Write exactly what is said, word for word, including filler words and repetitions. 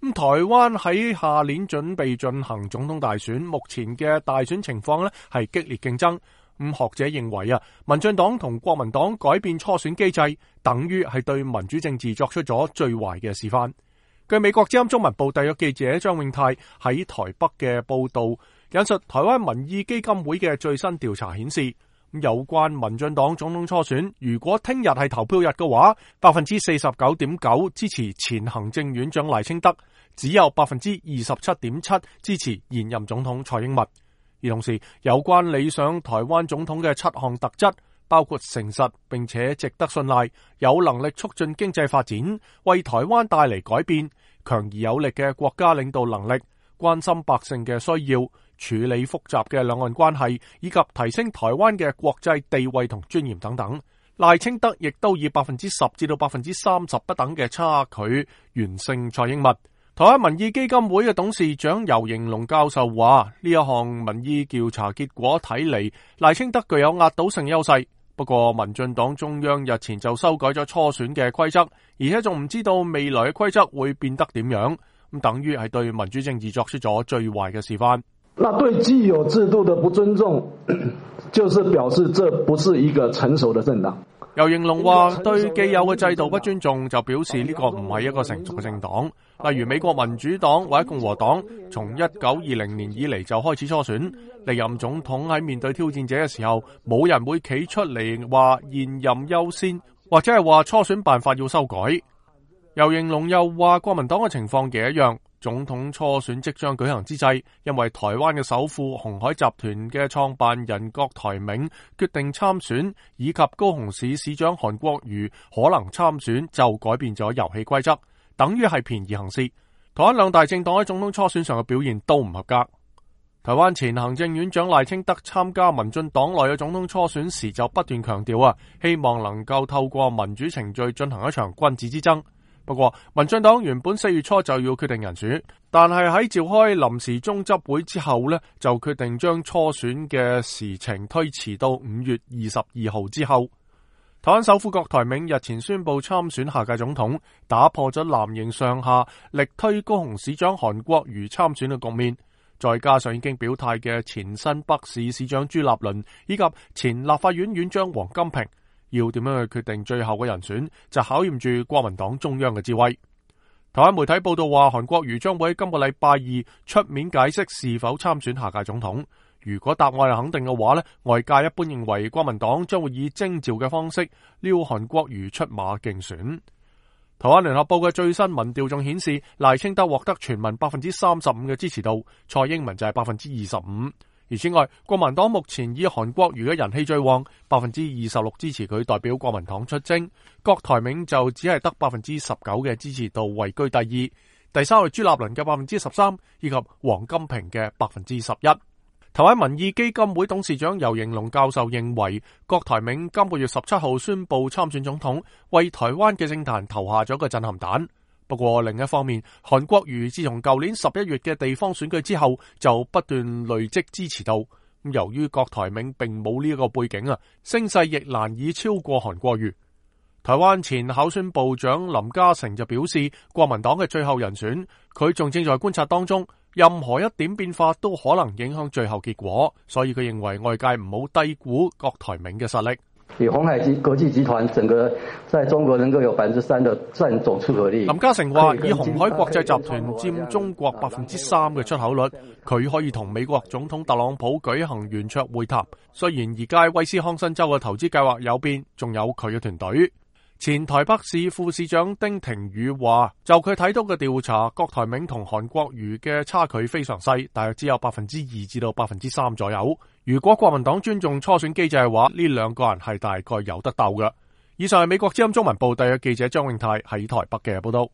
咁台灣喺下年準備進行總統大選，目前嘅大選情況呢係激烈競爭。咁學者認為啊，民進黨同國民黨改變初選機制，等於係對民主政治作出咗最壞嘅示範。據美國之音中文部特約記者張永泰喺台北嘅報道，引述台灣民意基金會嘅最新調查顯示，有關民進黨總統初選，如果聽日係投票日嘅話，百分之四十九點九支持前行政院長賴清德，只有百分之二十七點七支持現任總統蔡英文。而同時，有關理想台灣總統嘅七項特質，包括誠實並且值得信賴，有能力促進經濟發展，為台灣帶嚟改變，強而有力嘅國家領導能力，關心百姓嘅需要，處理複雜嘅兩岸關係，以及提升台灣嘅國際地位同尊嚴等等。賴清德亦都以百分之十至到百分之三十不等嘅差距完勝蔡英文。台灣民意基金會嘅董事長游盈隆教授話：呢一項民意調查結果睇嚟，賴清德具有壓倒性優勢。不過，民進黨中央日前就修改咗初選嘅規則，而且仲唔知道未來嘅規則會變得點樣，咁等於係對民主政治作出咗最壞嘅示範。那對既有制度的不尊重，就是表示這不是一個成熟的政黨。游盈隆話：對既有嘅制度不尊重，就表示呢個唔係一個成熟嘅政黨。例如美國民主黨或者共和黨，從一九二零年以嚟就開始初選，歷任總統喺面對挑戰者嘅時候，冇人會企出嚟話現任優先，或者係話初選辦法要修改。游盈隆又話，國民黨嘅情況亦一樣。總統初選即將舉行之際，因為台灣嘅首富鴻海集團嘅創辦人郭台銘決定參選，以及高雄市市長韓國瑜可能參選，就改變咗遊戲規則，等於係便宜行事。台灣兩大政黨喺總統初選上嘅表現都唔合格。台灣前行政院長賴清德參加民進黨內嘅總統初選時就不斷強調啊，希望能夠透過民主程序進行一場君子之爭。不過，民進黨原本四月初就要決定人選，但係喺召開臨時中執會之後呢，就決定將初選嘅時程推遲到五月二十二號之後。台灣首富郭台銘日前宣布參選下屆總統，打破咗藍營上下力推高雄市長韓國瑜參選嘅局面。再加上已經表態嘅前新北市市長朱立倫以及前立法院院長王金平，要點樣去決定最後嘅人選，就考驗住國民黨中央嘅智慧。台灣媒體報道話，韓國瑜將會喺今個禮拜二出面解釋是否參選下屆總統。如果答案係肯定嘅話呢，外界一般認為國民黨將會以徵召嘅方式撩韓國瑜出馬競選。台灣聯合報嘅最新民調仲顯示，賴清德獲得全民百分之三十五嘅支持度，蔡英文就係百分之二十五。而此外，國民黨目前以韓國瑜嘅人氣最旺，百分之二十六支持佢代表國民黨出征。郭台銘就只係得百分之十九嘅支持度，位居第二。第三係朱立倫嘅百分之十三，以及王金平嘅百分之十一。台灣民意基金會董事長游盈隆教授認為，郭台銘今個月十七號宣布參選總統，為台灣嘅政壇投下咗個震撼彈。不過另一方面，韓國瑜自從舊年十一月嘅地方選舉之後，就不斷累積支持度。由於郭台銘並冇呢一個背景啊，聲勢亦難以超過韓國瑜。台灣前考選部長林嘉誠就表示，國民黨嘅最後人選，佢仲正在觀察當中，任何一點變化都可能影響最後結果，所以佢認為外界唔好低估郭台銘嘅實力。以鴻海國際集團整個在中國能夠有百分之三的佔總出口率。林嘉誠話：以鴻海國際集團佔中國百分之三嘅出口率，佢可以同美國總統特朗普舉行圓桌會談。雖然而家威斯康辛州嘅投資計劃有變，仲有佢嘅團隊。前台北市副市長丁廷宇話：就佢睇到嘅調查，郭台銘同韓國瑜嘅差距非常細，大約只有百分之二至到百分之三左右。如果國民黨尊重初選機制嘅話，呢兩個人係大概有得鬥嘅。以上係美國之音中文部特約記者張永泰喺台北嘅報道。